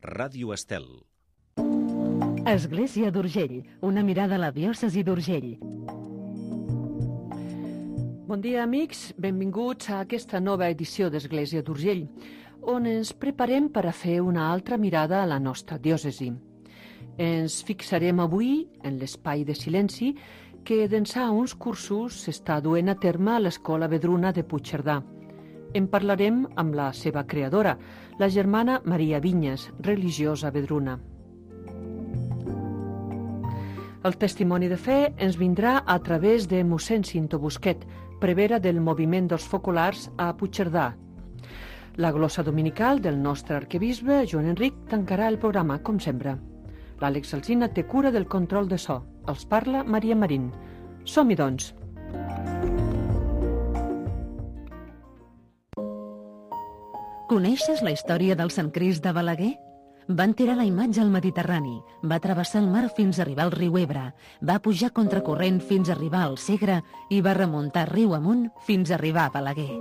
Ràdio Estel. Església d'Urgell, una mirada a la diòcesi d'Urgell. Bon dia, amics. Benvinguts a aquesta nova edició d'Església d'Urgell, on ens preparem per a fer una altra mirada a la nostra diòcesi. Ens fixarem avui en l'espai de silenci que d'ençà uns cursos s'està duent a terme a l'Escola Vedruna de Puigcerdà. En parlarem amb la seva creadora, la germana Maria Vinyes, religiosa vedruna. El testimoni de fe ens vindrà a través de mossèn Cinto Busquet, prevera del moviment dels focolars a Puigcerdà. La glossa dominical del nostre arquebisbe, Joan Enric, tancarà el programa, com sempre. L'Àlex Alsina té cura del control de so. Els parla Maria Marín. Som-hi, doncs. Coneixes la història del Sant Crist de Balaguer? Van tirar la imatge al Mediterrani, va travessar el mar fins a arribar al riu Ebre, va pujar contracorrent fins a arribar al Segre i va remuntar riu amunt fins a arribar a Balaguer.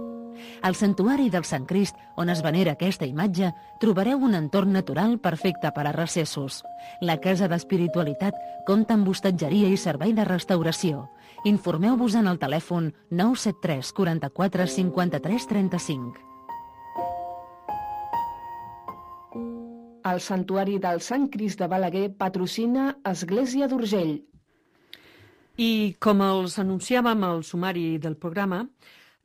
Al santuari del Sant Crist, on es venera aquesta imatge, trobareu un entorn natural perfecte per a recessos. La Casa d'Espiritualitat compta amb hostatgeria i servei de restauració. Informeu-vos en el telèfon 973 44 53 35. El Santuari del Sant Crist de Balaguer patrocina Església d'Urgell. I com els anunciàvem al sumari del programa,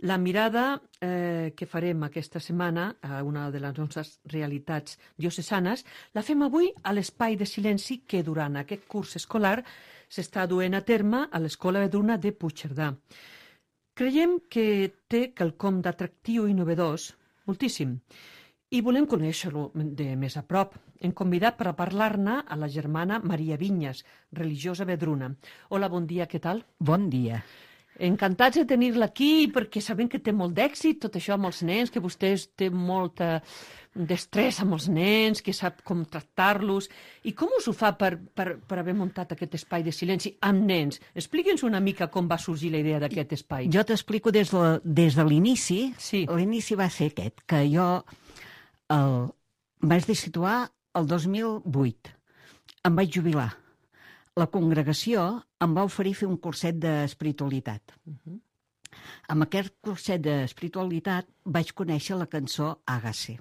la mirada que farem aquesta setmana a una de les nostres realitats diocesanes la fem avui a l'espai de silenci que durant aquest curs escolar s'està duent a terme a l'Escola Vedruna de Puigcerdà. Creiem que té quelcom d'atractiu i novedós, moltíssim, i volem conèixer-lo de més a prop. Hem convidat per a parlar-ne a la germana Maria Vinyes, religiosa vedruna. Hola, bon dia, què tal? Bon dia. Encantats de tenir-la aquí, perquè sabem que té molt d'èxit, tot això amb els nens, que vostè té molta destressa amb els nens, que sap com tractar-los. I com us ho fa per haver muntat aquest espai de silenci amb nens? Expliqui'ns una mica com va sorgir la idea d'aquest espai. Jo t'explico des de l'inici. Sí. L'inici va ser aquest, que jo vaig situar el 2008. Em vaig jubilar. La congregació em va oferir fer un curset d'espiritualitat. Amb aquest curset d'espiritualitat vaig conèixer la cançó Àgase.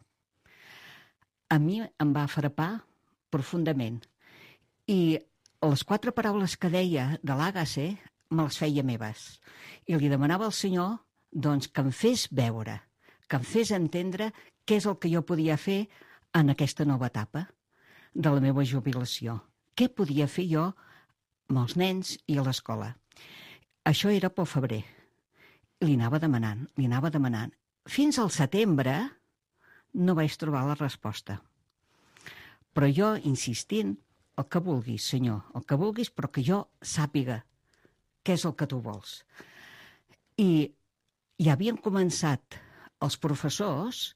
A mi em va frapar profundament. I les 4 paraules que deia de l'Àgase me les feia meves. I li demanava al Senyor doncs, que em fes veure, que em fes entendre què és el que jo podia fer en aquesta nova etapa de la meva jubilació. Què podia fer jo amb els nens i a l'escola? Això era pel febrer. Li anava demanant. Fins al setembre no vaig trobar la resposta. Però jo insistint, el que vulguis, Senyor, el que vulguis, però que jo sàpiga què és el que tu vols. I ja havien començat els professors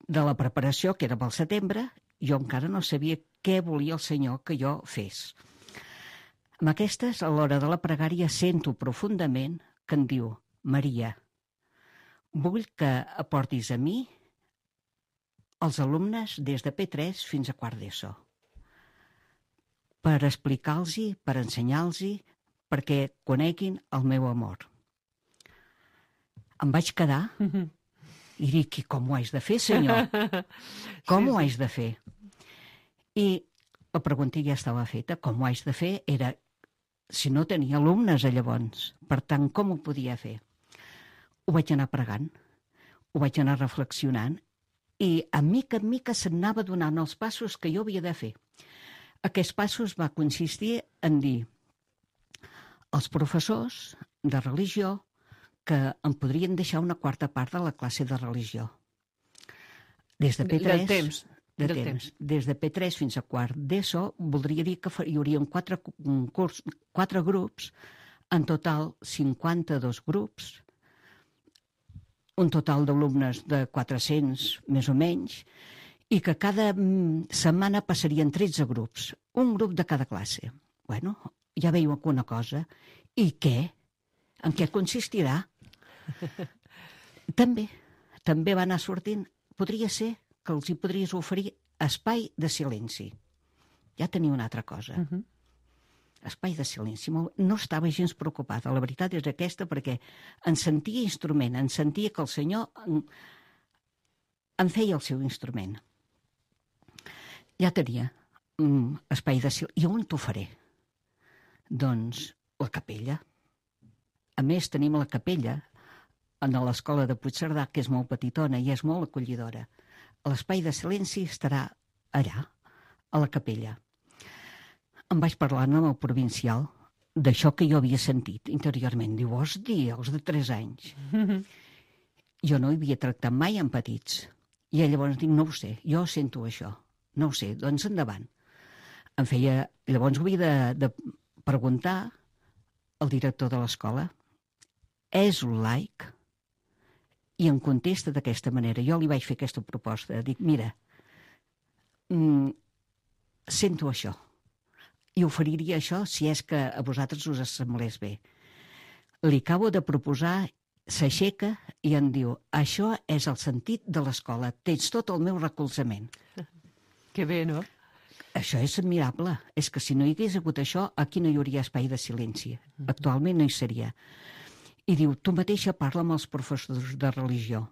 de la preparació, que era pel setembre, jo encara no sabia què volia el Senyor que jo fes. Amb aquestes, a l'hora de la pregària, sento profundament que em diu: Maria, vull que aportis a mi els alumnes des de P3 fins a quart d'ESO, per explicar-los, per ensenyar-los, perquè coneguin el meu amor. Em vaig quedar i dic: com ho haig de fer, Senyor? Com ho haig de fer? I la pregunta ja estava feta. Com ho haig de fer era si no tenia alumnes llavors. Per tant, com ho podia fer? Ho vaig anar pregant, ho vaig anar reflexionant i a mica en mica s'anava donant els passos que jo havia de fer. Aquests passos va consistir en dir als professors de religió que em podrien deixar una 4ª part de la classe de religió. Des de P3, del temps. Des de P3 fins a quart d'ESO, voldria dir que hi haurien 4 grups, en total 52 grups, un total d'alumnes de 400 més o menys, i que cada setmana passarien 13 grups, un grup de cada classe. Bueno, ja veieu alguna cosa. I què? En què consistirà? També va anar sortint. Podria ser que els hi podries oferir espai de silenci. Ja tenia una altra cosa. Espai de silenci. No estava gens preocupada. La veritat és aquesta, perquè em sentia instrument, em sentia que el Senyor em feia el seu instrument. Ja tenia espai de silenci. I on t'ho faré? Doncs la capella. A més, tenim la capella a l'escola de Puigcerdà, que és molt petitona i és molt acollidora. L'espai de silenci estarà allà, a la capella. Em vaig parlar amb el provincial d'això que jo havia sentit interiorment. Diu, vols dir, els de 3 anys? Jo no hi havia tractat mai amb petits. I llavors dic, no ho sé, jo sento això. No ho sé, doncs endavant. Llavors ho havia de preguntar al director de l'escola. És un laic? I em contesta d'aquesta manera. Jo li vaig fer aquesta proposta. Dic, mira, sento això. I oferiria això si és que a vosaltres us semblés bé. Li acabo de proposar, s'aixeca i em diu, això és el sentit de l'escola, tens tot el meu recolzament. Que bé, no? Això és admirable. És que si no hi hagués hagut això, aquí no hi hauria espai de silenci. Actualment no hi seria. I diu, tu mateixa parla amb els professors de religió.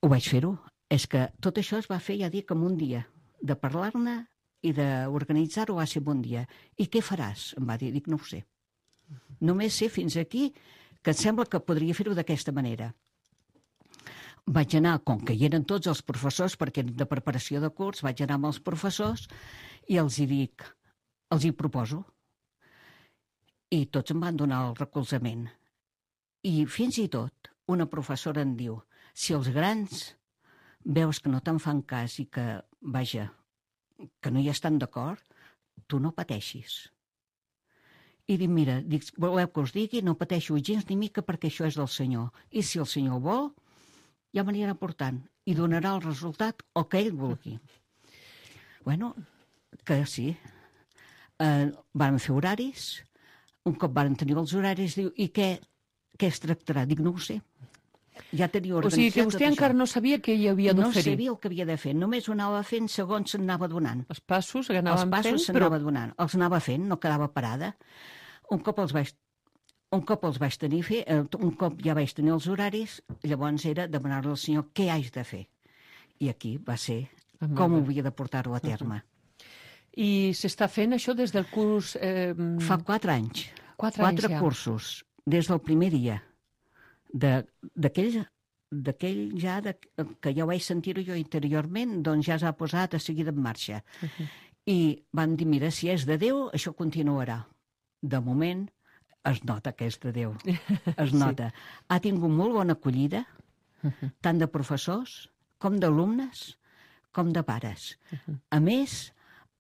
Ho vaig fer-ho. És que tot això es va fer, ja dic, en un dia. De parlar-ne i d'organitzar-ho va ser un dia. I què faràs? Em va dir. Dic, no ho sé. Només sé fins aquí que em sembla que podria fer-ho d'aquesta manera. Vaig anar, com que hi eren tots els professors, perquè eren de preparació de curs, vaig anar amb els professors i els hi dic, els hi proposo. I tots em van donar el recolzament. I fins i tot una professora em diu, si els grans veus que no te'n fan cas i que, vaja, que no hi estan d'acord, tu no pateixis. I dic, mira, voleu que us digui, no pateixo gens ni mica perquè això és del Senyor. I si el Senyor vol, ja m'anirà portant i donarà el resultat el que ell vulgui. Bueno, que sí. Vam fer horaris, un cop van tenir els horaris, diu, i què es tractarà? Dic, no ho sé. Ja tenia organitzat. O sigui que vostè encara no sabia què hi havia d'oferir. No sabia el que havia de fer, només ho anava fent segons s'anava donant. Els passos que anàvem fent, Els passos s'anava donant, els anava fent, no quedava parada. Un cop els vaig tenir un cop ja vaig tenir els horaris, llavors era demanar-li al Senyor què haig de fer. I aquí va ser com ho havia de portar-ho a terme. I s'està fent això des del curs... Fa 4 anys. 4 anys ja. Cursos, des del primer dia. D'aquell ja, que ja ho vaig sentir-ho jo interiorment, doncs ja s'ha posat a seguida en marxa. I van dir, mira, si és de Déu, això continuarà. De moment, es nota que és de Déu. Es nota. Sí. Ha tingut molt bona acollida, tant de professors, com d'alumnes, com de pares. A més,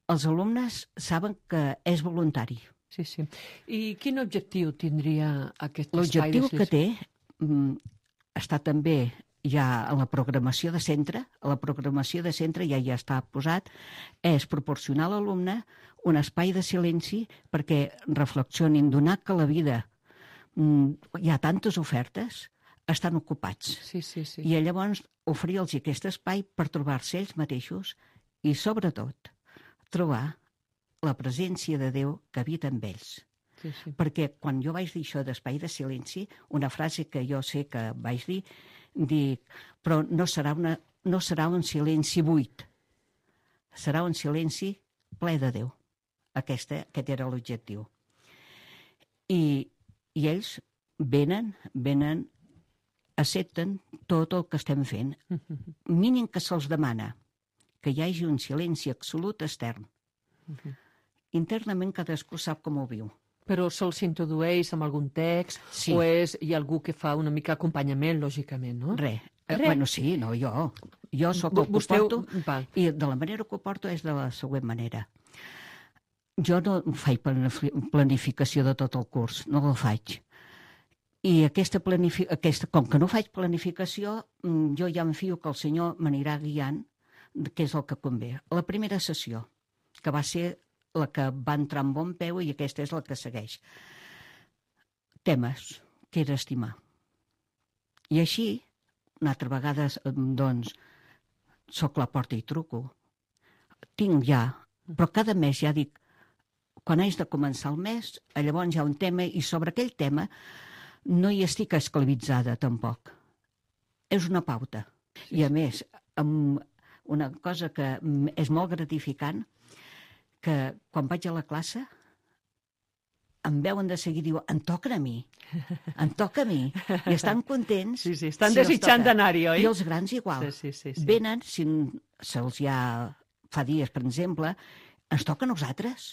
els alumnes saben que és voluntari. Sí, sí. I quin objectiu tindria aquest espai? L'objectiu que té està també ja a la programació de centre, ja està posat, és proporcionar a l'alumne un espai de silenci perquè reflexionin, donar que la vida hi ha tantes ofertes, estan ocupats. Sí, sí, sí. I llavors oferir-los aquest espai per trobar-se ells mateixos i, sobretot, trobar la presència de Déu que habita en ells. Sí, sí. Perquè quan jo vaig dir això d'espai de silenci, una frase que jo sé que vaig dir, dic, però no serà un silenci buit, serà un silenci ple de Déu. Aquest era l'objectiu. I ells venen, accepten tot el que estem fent. Mínim que se'ls demana que hi hagi un silenci absolut extern. Internament cadascú sap com ho viu. Però se'ls introdueix amb algun text, sí. O hi ha algú que fa una mica acompanyament, lògicament, no? Res. Bueno, sí, no, jo. Jo sóc el que ho porto, i de la manera que ho porto és de la següent manera. Jo no faig planificació de tot el curs, no la faig. I com que no faig planificació, jo ja em fio que el Senyor m'anirà guiant, que és el que convé. La primera sessió, que va ser la que va entrar amb bon peu, i aquesta és la que segueix. Temes, que era estimar. I així, una altra vegada, doncs, soc la porta i truco. Tinc ja, però cada mes ja dic, quan haig de començar el mes, llavors hi ha un tema i sobre aquell tema no hi estic esclavitzada tampoc. És una pauta. I a més, amb una cosa que és molt gratificant, que quan vaig a la classe em veuen de seguir, diuen, em toca a mi. I estan contents. Sí, estan desitjant d'anar-hi, oi? I els grans igual. Sí. Venen, si se'ls ja fa dies, per exemple, ens toca a nosaltres.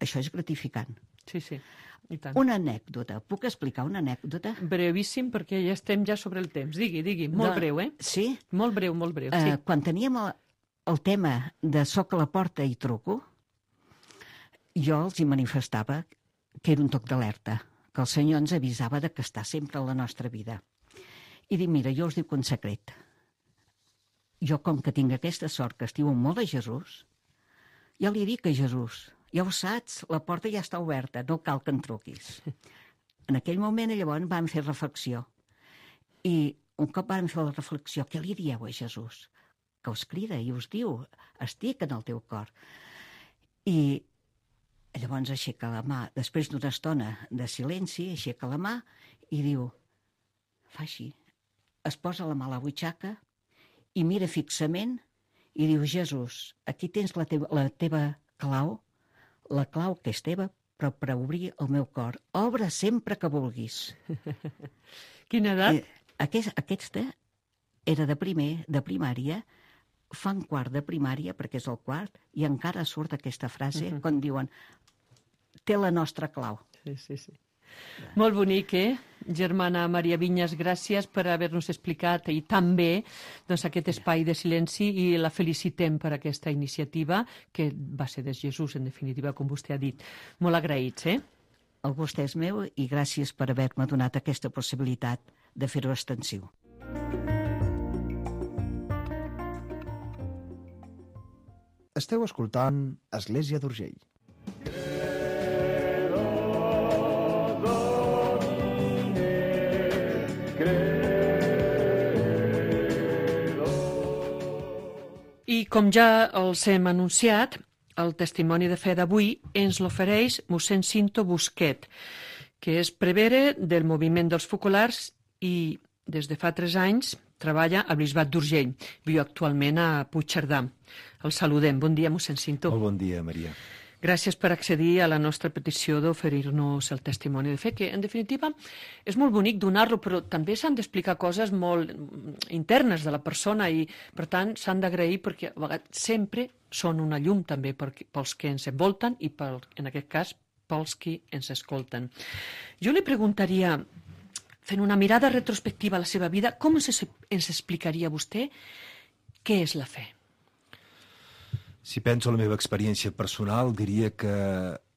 Això és gratificant. Sí, i tant. Una anècdota. Puc explicar una anècdota? Brevíssim, perquè ja estem sobre el temps. Digui. Molt breu, eh? Sí? Molt breu, sí. Quan teníem el tema de soc a la porta i truco, jo els hi manifestava que era un toc d'alerta, que el Senyor ens avisava de que està sempre a la nostra vida. I dic, mira, jo us dic un secret. Jo, com que tinc aquesta sort que estimo molt a Jesús, ja li dic a Jesús, ja ho saps, la porta ja està oberta, no cal que en truquis. En aquell moment, llavors, vam fer reflexió. I un cop vam fer la reflexió, què li dieu a Jesús? Que us crida i us diu, estic en el teu cor. I llavors aixeca la mà, després d'una estona de silenci, aixeca la mà i diu, fa així, es posa la mà a la butxaca i mira fixament i diu, Jesús, aquí tens la teva clau, la clau que és teva, però per obrir el meu cor. Obre sempre que vulguis. Quina edat? Aquesta era de primària, fan quart de primària, perquè és el quart, i encara surt aquesta frase quan diuen té la nostra clau. Sí. Molt bonic, Germana Maria Vinyes, gràcies per haver-nos explicat i també aquest espai de silenci i la felicitem per aquesta iniciativa que va ser de Jesús, en definitiva, com vostè ha dit. Molt agraïts, El gust és meu i gràcies per haver-me donat aquesta possibilitat de fer-ho extensiu. Esteu escoltant Església d'Urgell. I com ja els hem anunciat, el testimoni de fe d'avui ens l'ofereix mossèn Cinto Busquet, que és prevere del moviment dels focolars i des de fa 3 anys treballa al Bisbat d'Urgell. Viu actualment a Puigcerdà. El saludem. Bon dia, mossèn Cinto. Molt bon dia, Maria. Gràcies per accedir a la nostra petició d'oferir-nos el testimoni de fe, que en definitiva és molt bonic donar-lo, però també s'han d'explicar coses molt internes de la persona i, per tant, s'han d'agrair perquè a vegades sempre són una llum també pels que ens envolten i, en aquest cas, pels que ens escolten. Jo li preguntaria, fent una mirada retrospectiva a la seva vida, com ens explicaria vostè què és la fe? Si penso en la meva experiència personal, diria que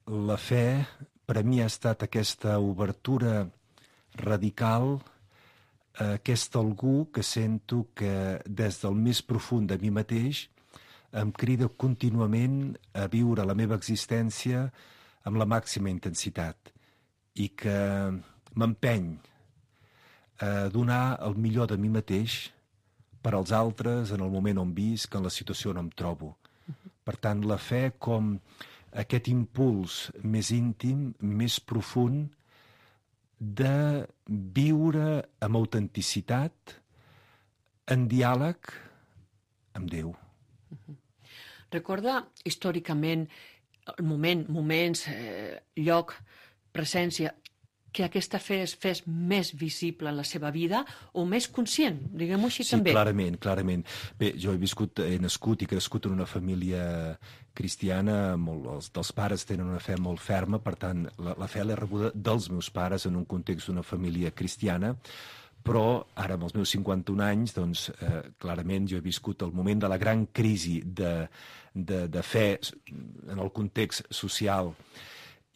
la fe per a mi ha estat aquesta obertura radical, aquest algú que sento que des del més profund de mi mateix em crida contínuament a viure la meva existència amb la màxima intensitat i que m'empeny a donar el millor de mi mateix per als altres en el moment on visc, en la situació on em trobo. Per tant, la fe com aquest impuls més íntim, més profund de viure amb autenticitat, en diàleg amb Déu. Recorda històricament el moments, lloc, presència, que aquesta fe es fes més visible en la seva vida o més conscient, diguem-ho així també. Sí, clarament. Bé, jo he nascut i crescut en una família cristiana, els dels pares tenen una fe molt ferma, per tant, la fe l'he rebuda dels meus pares en un context d'una família cristiana, però ara, amb els meus 51 anys, doncs, clarament jo he viscut el moment de la gran crisi de fe en el context social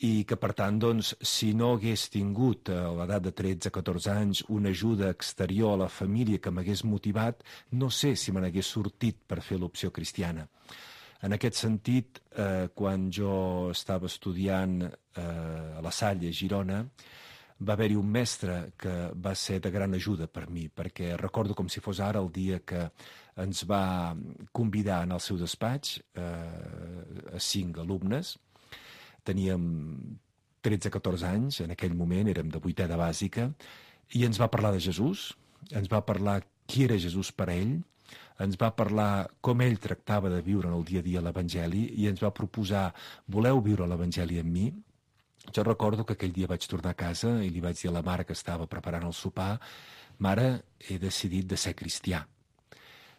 i que, per tant, doncs, si no hagués tingut a l'edat de 13-14 anys una ajuda exterior a la família que m'hagués motivat, no sé si me n'hagués sortit per fer l'opció cristiana. En aquest sentit, quan jo estava estudiant a la Salle, a Girona, va haver-hi un mestre que va ser de gran ajuda per mi, perquè recordo com si fos ara el dia que ens va convidar en el seu despatx a 5 alumnes. Teníem 13-14 anys, en aquell moment érem de 8è de bàsica, i ens va parlar de Jesús, ens va parlar qui era Jesús per a ell, ens va parlar com ell tractava de viure en el dia a dia l'Evangeli i ens va proposar, voleu viure l'Evangeli amb mi? Jo recordo que aquell dia vaig tornar a casa i li vaig dir a la mare que estava preparant el sopar, mare, he decidit de ser cristià.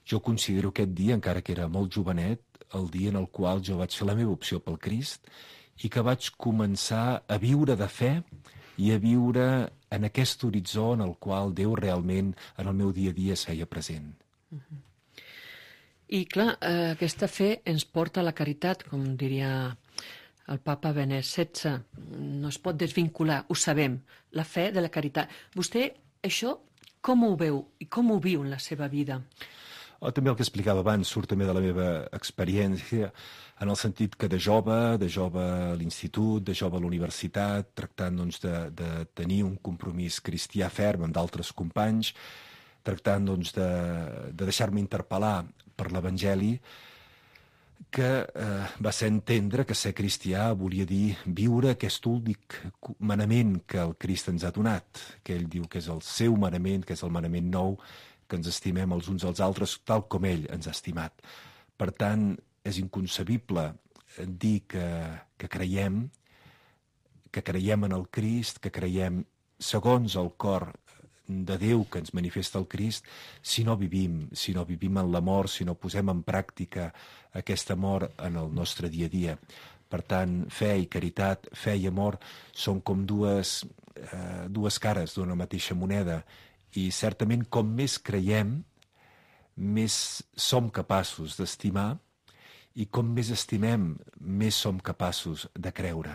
Jo considero aquest dia, encara que era molt jovenet, el dia en el qual jo vaig fer la meva opció pel Crist i que vaig començar a viure de fe i a viure en aquest horitzó en el qual Déu realment en el meu dia a dia es feia present. I clar, aquesta fe ens porta a la caritat, com diria el papa Benet XVI. No es pot desvincular, ho sabem, la fe de la caritat. Vostè això com ho veu i com ho viu en la seva vida? També el que explicava abans surt també de la meva experiència, en el sentit que de jove a l'institut, de jove a la universitat, tractant doncs, de tenir un compromís cristià ferm amb d'altres companys, tractant doncs, de deixar-me interpel·lar per l'Evangeli, que va ser entendre que ser cristià volia dir viure aquest únic manament que el Crist ens ha donat, que ell diu que és el seu manament, que és el manament nou, que ens estimem els uns als altres tal com ell ens ha estimat. Per tant, és inconcebible dir que creiem en el Crist, que creiem segons el cor de Déu que ens manifesta el Crist, si no vivim en l'amor, si no posem en pràctica aquest amor en el nostre dia a dia. Per tant, fe i caritat, fe i amor són com dues cares d'una mateixa moneda. I certament com més creiem, més som capaços d'estimar i com més estimem, més som capaços de creure.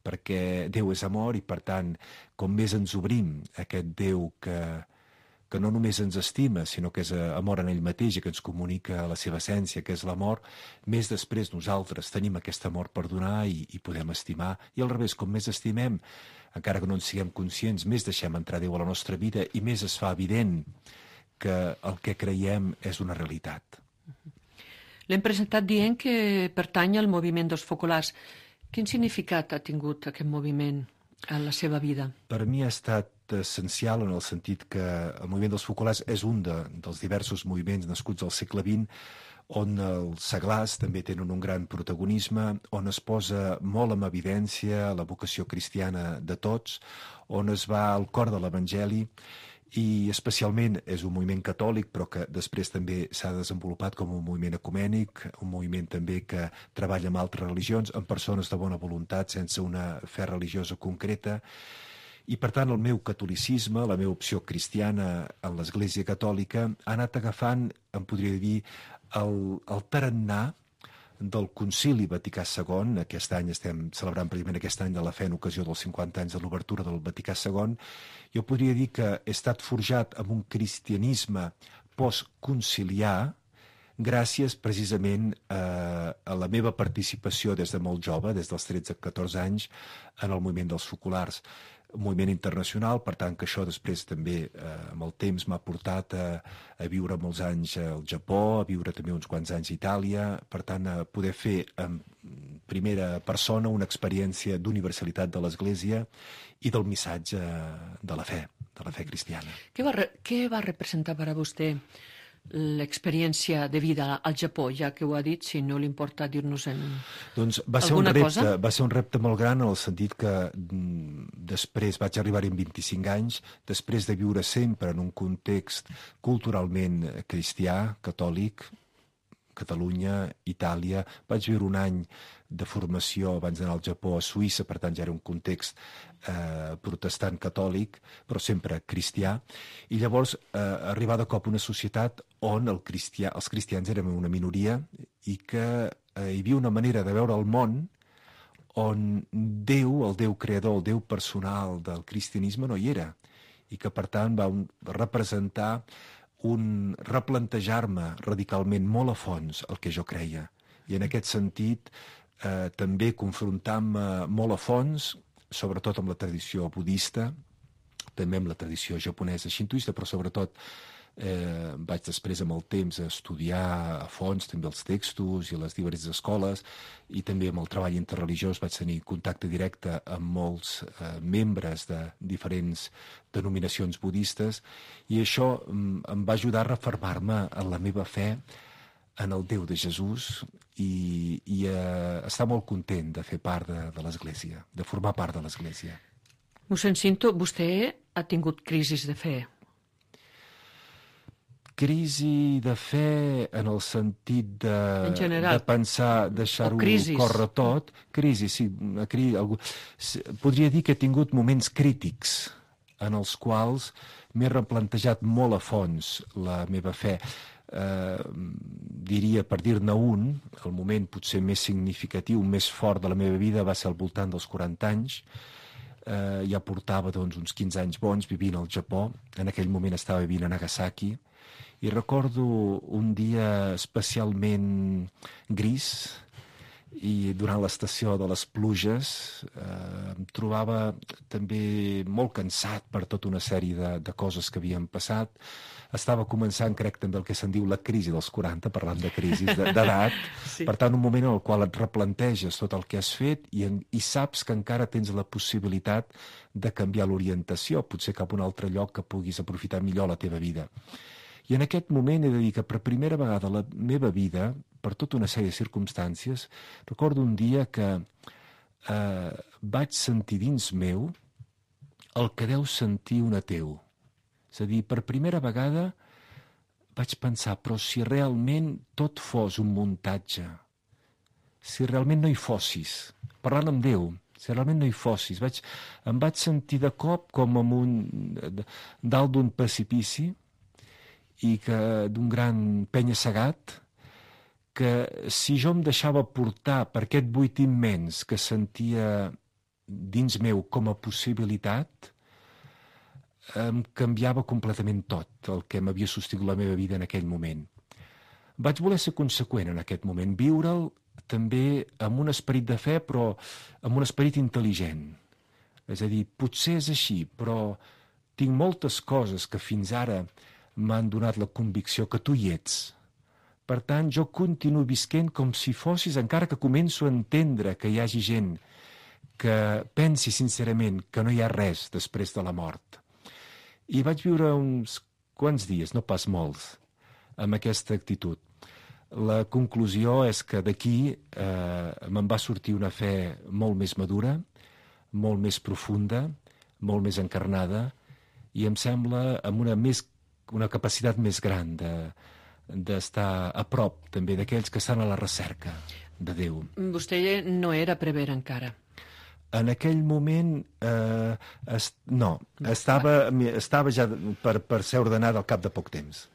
Perquè Déu és amor i, per tant, com més ens obrim a aquest Déu que no només ens estima, sinó que és amor en ell mateix i que ens comunica la seva essència, que és l'amor, més després nosaltres tenim aquest amor per donar i podem estimar. I al revés, com més estimem, encara que no en siguem conscients, més deixem entrar Déu a la nostra vida i més es fa evident que el que creiem és una realitat. L'hem presentat dient que pertany al moviment dels focolars. Quin significat ha tingut aquest moviment en la seva vida? Per mi ha estat essencial en el sentit que el moviment dels focolars és un dels diversos moviments nascuts al segle XX on els seglars també tenen un gran protagonisme, on es posa molt en evidència la vocació cristiana de tots, on es va al cor de l'Evangeli, i especialment és un moviment catòlic, però que després també s'ha desenvolupat com un moviment ecumènic, un moviment també que treballa amb altres religions, amb persones de bona voluntat, sense una fe religiosa concreta. I, per tant, el meu catolicisme, la meva opció cristiana en l'Església Catòlica, ha anat agafant, em podria dir, el tarannà del Concili Vaticà II. Aquest any estem celebrant precisament aquest any de la fe en ocasió dels 50 anys de l'obertura del Vaticà II. Jo podria dir que he estat forjat amb un cristianisme postconciliar gràcies precisament a la meva participació des de molt jove, des dels 13-14 anys, en el moviment dels focolars. Un moviment internacional, per tant que això després també amb el temps m'ha portat a viure molts anys al Japó, a viure també uns quants anys a Itàlia, per tant a poder fer en primera persona una experiència d'universalitat de l'Església i del missatge de la fe cristiana. Què va representar per a vostè l'experiència de vida al Japó, ja que ho ha dit, si no li importa dir-nos alguna cosa? Va ser un repte molt gran en el sentit que després vaig arribar-hi amb 25 anys, després de viure sempre en un context culturalment cristià, catòlic, Catalunya, Itàlia. Vaig viure un any de formació abans d'anar al Japó a Suïssa, per tant ja era un context protestant catòlic, però sempre cristià. I llavors arribar de cop a una societat on els cristians érem una minoria i que hi havia una manera de veure el món on Déu, el Déu creador, el Déu personal del cristianisme no hi era i que per tant va representar un replantejar-me radicalment molt a fons el que jo creia. I en aquest sentit també confrontant-me molt a fons, sobretot amb la tradició budista, també amb la tradició japonesa xintoista, però sobretot Vaig després, amb el temps, estudiar a fons també els textos i les diferents escoles, i també amb el treball interreligiós vaig tenir contacte directe amb molts membres de diferents denominacions budistes, i això em va ajudar a refermar-me en la meva fe en el Déu de Jesús i estar molt content de fer part de l'Església, de formar part de l'Església. Mossèn Cinto, vostè ha tingut crisis de fe. Crisi de fe en el sentit En general. de pensar, deixar-ho crisis. córrer tot. Crisi, sí. Podria dir que he tingut moments crítics en els quals m'he replantejat molt a fons la meva fe. Diria, per dir-ne un, el moment potser més significatiu, més fort de la meva vida va ser al voltant dels 40 anys. Ja portava uns 15 anys bons vivint al Japó. En aquell moment estava vivint a Nagasaki. I recordo un dia especialment gris, i durant l'estació de les pluges em trobava també molt cansat per tota una sèrie de coses que havien passat. Estava començant, crec, també el que se'n diu la crisi dels 40, parlant de crisis d'edat. Sí. Per tant, un moment en el qual et replanteges tot el que has fet i saps que encara tens la possibilitat de canviar l'orientació, potser cap a un altre lloc que puguis aprofitar millor la teva vida. I en aquest moment he de dir que per primera vegada a la meva vida, per tota una sèrie de circumstàncies, recordo un dia que vaig sentir dins meu el que deu sentir un ateu. És a dir, per primera vegada vaig pensar, però si realment tot fos un muntatge, si realment no hi fossis, parlant amb Déu, si realment no hi fossis, em vaig sentir de cop com dalt d'un precipici, i que d'un gran penya-segat, que si jo em deixava portar per aquest buit immens que sentia dins meu com a possibilitat, em canviava completament tot el que m'havia sostingut la meva vida en aquell moment. Vaig voler ser conseqüent en aquest moment, viure'l també amb un esperit de fe, però amb un esperit intel·ligent. És a dir, potser és així, però tinc moltes coses que fins ara m'han donat la convicció que tu hi ets. Per tant, jo continuo visquent com si fossis, encara que començo a entendre que hi hagi gent que pensi sincerament que no hi ha res després de la mort. I vaig viure uns quants dies, no pas molts, amb aquesta actitud. La conclusió és que d'aquí me'n va sortir una fe molt més madura, molt més profunda, molt més encarnada, i em sembla amb una capacitat més gran d'estar a prop també d'aquells que estan a la recerca de Déu. Vostè no era prevere encara. En aquell moment, no. Estava ja per ser ordenat al cap de poc temps.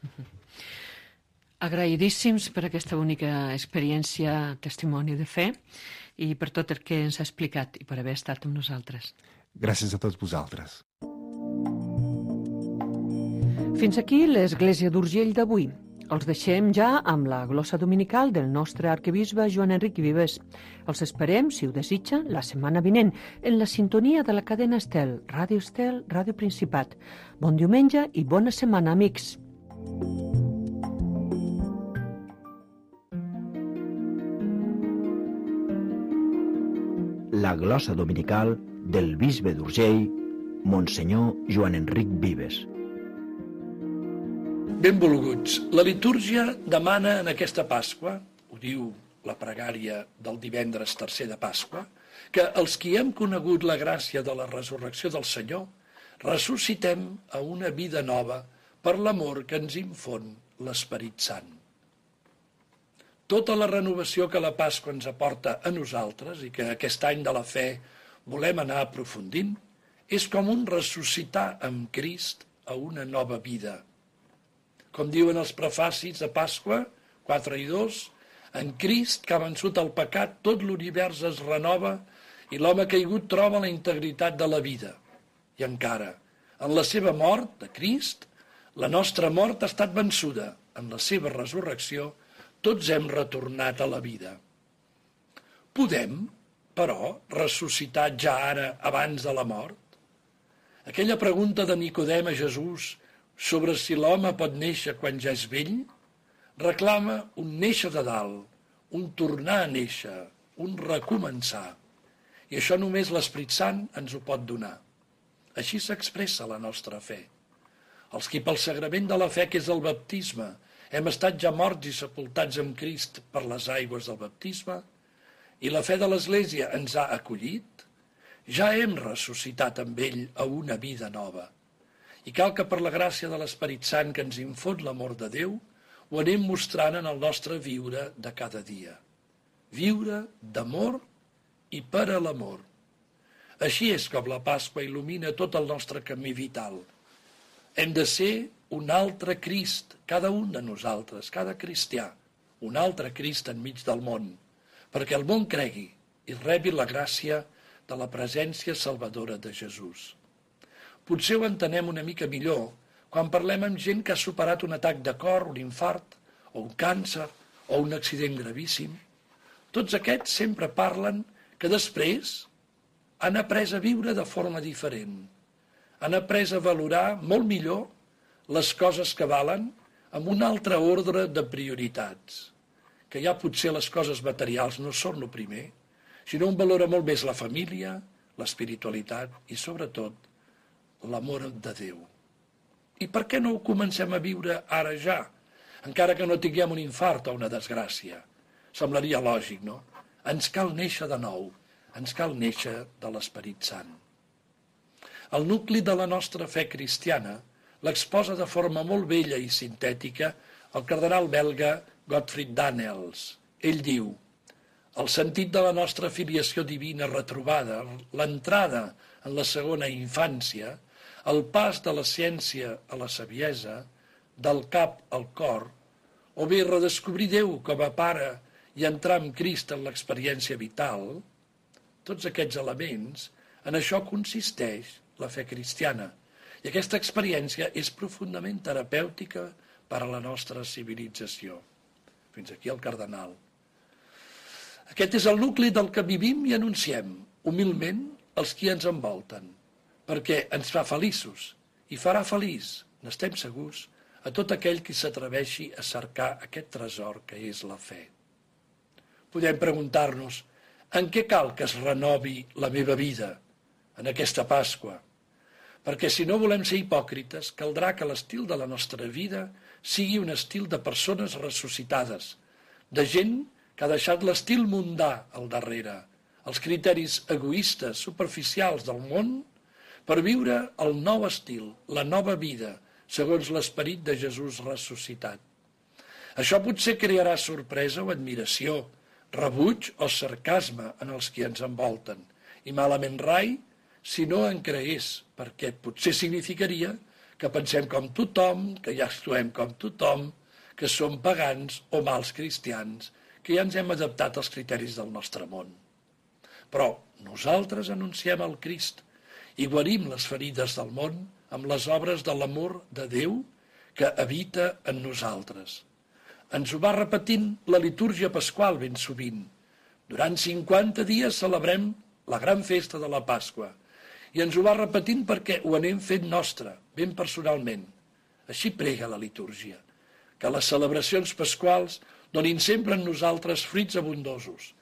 Agraïdíssims per aquesta única experiència, testimoni de fe, i per tot el que ens ha explicat i per haver estat amb nosaltres. Gràcies a tots vosaltres. Fins aquí l'Església d'Urgell d'avui. Els deixem ja amb la glossa dominical del nostre arquebisbe Joan Enric Vives. Els esperem, si ho desitja, la setmana vinent, en la sintonia de la cadena Estel, Ràdio Principat. Bon diumenge i bona setmana, amics. La glossa dominical del bisbe d'Urgell, Monsenyor Joan Enric Vives. Benvolguts, la litúrgia demana en aquesta Pasqua, ho diu la pregària del divendres tercer de Pasqua, que els qui hem conegut la gràcia de la resurrecció del Senyor ressuscitem a una vida nova per l'amor que ens infon l'Esperit Sant. Tota la renovació que la Pasqua ens aporta a nosaltres i que aquest any de la fe volem anar aprofundint és com un ressuscitar amb Crist a una nova vida. Com diuen els prefacis de Pasqua 4 i 2, en Crist que ha vençut el pecat, tot l'univers es renova i l'home caigut troba la integritat de la vida. I encara, en la seva mort, de Crist, la nostra mort ha estat vençuda. En la seva resurrecció, tots hem retornat a la vida. Podem, però, ressuscitar ja ara abans de la mort? Aquella pregunta de Nicodem a Jesús, sobre si l'home pot néixer quan ja és vell, reclama un néixer de dalt, un tornar a néixer, un recomençar. I això només l'Esprit Sant ens ho pot donar. Així s'expressa la nostra fe. Els qui pel sagrament de la fe, que és el baptisme, hem estat ja morts i sepultats amb Crist per les aigües del baptisme, i la fe de l'Església ens ha acollit, ja hem ressuscitat amb ell a una vida nova. I cal que per la gràcia de l'Esperit Sant que ens infon l'amor de Déu, ho anem mostrant en el nostre viure de cada dia. Viure d'amor i per a l'amor. Així és com la Pasqua il·lumina tot el nostre camí vital. Hem de ser un altre Crist, cada un de nosaltres, cada cristià, un altre Crist enmig del món, perquè el món cregui i rebi la gràcia de la presència salvadora de Jesús. Potser ho entenem una mica millor quan parlem amb gent que ha superat un atac de cor, un infart, o un càncer, o un accident gravíssim. Tots aquests sempre parlen que després han après a viure de forma diferent. Han après a valorar molt millor les coses que valen amb un altre ordre de prioritats. Que ja potser les coses materials no són el primer, sinó un valora molt més la família, l'espiritualitat i, sobretot, l'amor de Déu. I per què no ho comencem a viure ara ja, encara que no tinguem un infart o una desgràcia? Semblaria lògic, no? Ens cal néixer de nou, ens cal néixer de l'Esperit Sant. El nucli de la nostra fe cristiana l'exposa de forma molt bella i sintètica el cardenal belga Gottfried Daniels. Ell diu: el sentit de la nostra filiació divina retrobada, l'entrada en la segona infància, el pas de la ciència a la saviesa, del cap al cor, o bé redescobrir Déu com a pare i entrar amb Crist en l'experiència vital, tots aquests elements, en això consisteix la fe cristiana. I aquesta experiència és profundament terapèutica per a la nostra civilització. Fins aquí el cardenal. Aquest és el nucli del que vivim i anunciem, humilment, els qui ens envolten, perquè ens fa feliços i farà feliç, n'estem segurs, a tot aquell qui s'atreveixi a cercar aquest tresor que és la fe. Podem preguntar-nos, en què cal que es renovi la meva vida en aquesta Pasqua? Perquè si no volem ser hipòcrites, caldrà que l'estil de la nostra vida sigui un estil de persones ressuscitades, de gent que ha deixat l'estil mundà al darrere, els criteris egoistes, superficials del món, per viure el nou estil, la nova vida, segons l'esperit de Jesús ressuscitat. Això potser crearà sorpresa o admiració, rebuig o sarcasme en els qui ens envolten, i malament rai si no en creés, perquè potser significaria que pensem com tothom, que ja actuem com tothom, que som pagans o mals cristians, que ja ens hem adaptat als criteris del nostre món. Però nosaltres anunciem el Crist i guarim les ferides del món amb les obres de l'amor de Déu que habita en nosaltres. Ens ho va repetint la litúrgia pasqual ben sovint. Durant 50 dies celebrem la gran festa de la Pasqua i ens ho va repetint perquè ho anem fent nostre, ben personalment. Així prega la litúrgia, que les celebracions pasquals donin sempre en nosaltres fruits abundosos,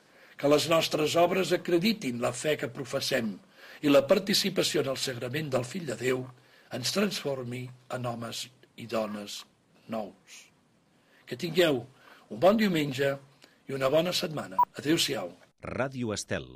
que les nostres obres acreditin la fe que professem i la participació en el sagrament del Fill de Déu ens transformi en homes i dones nous. Que tingueu un bon diumenge i una bona setmana. Adéu-siau. Ràdio Estel,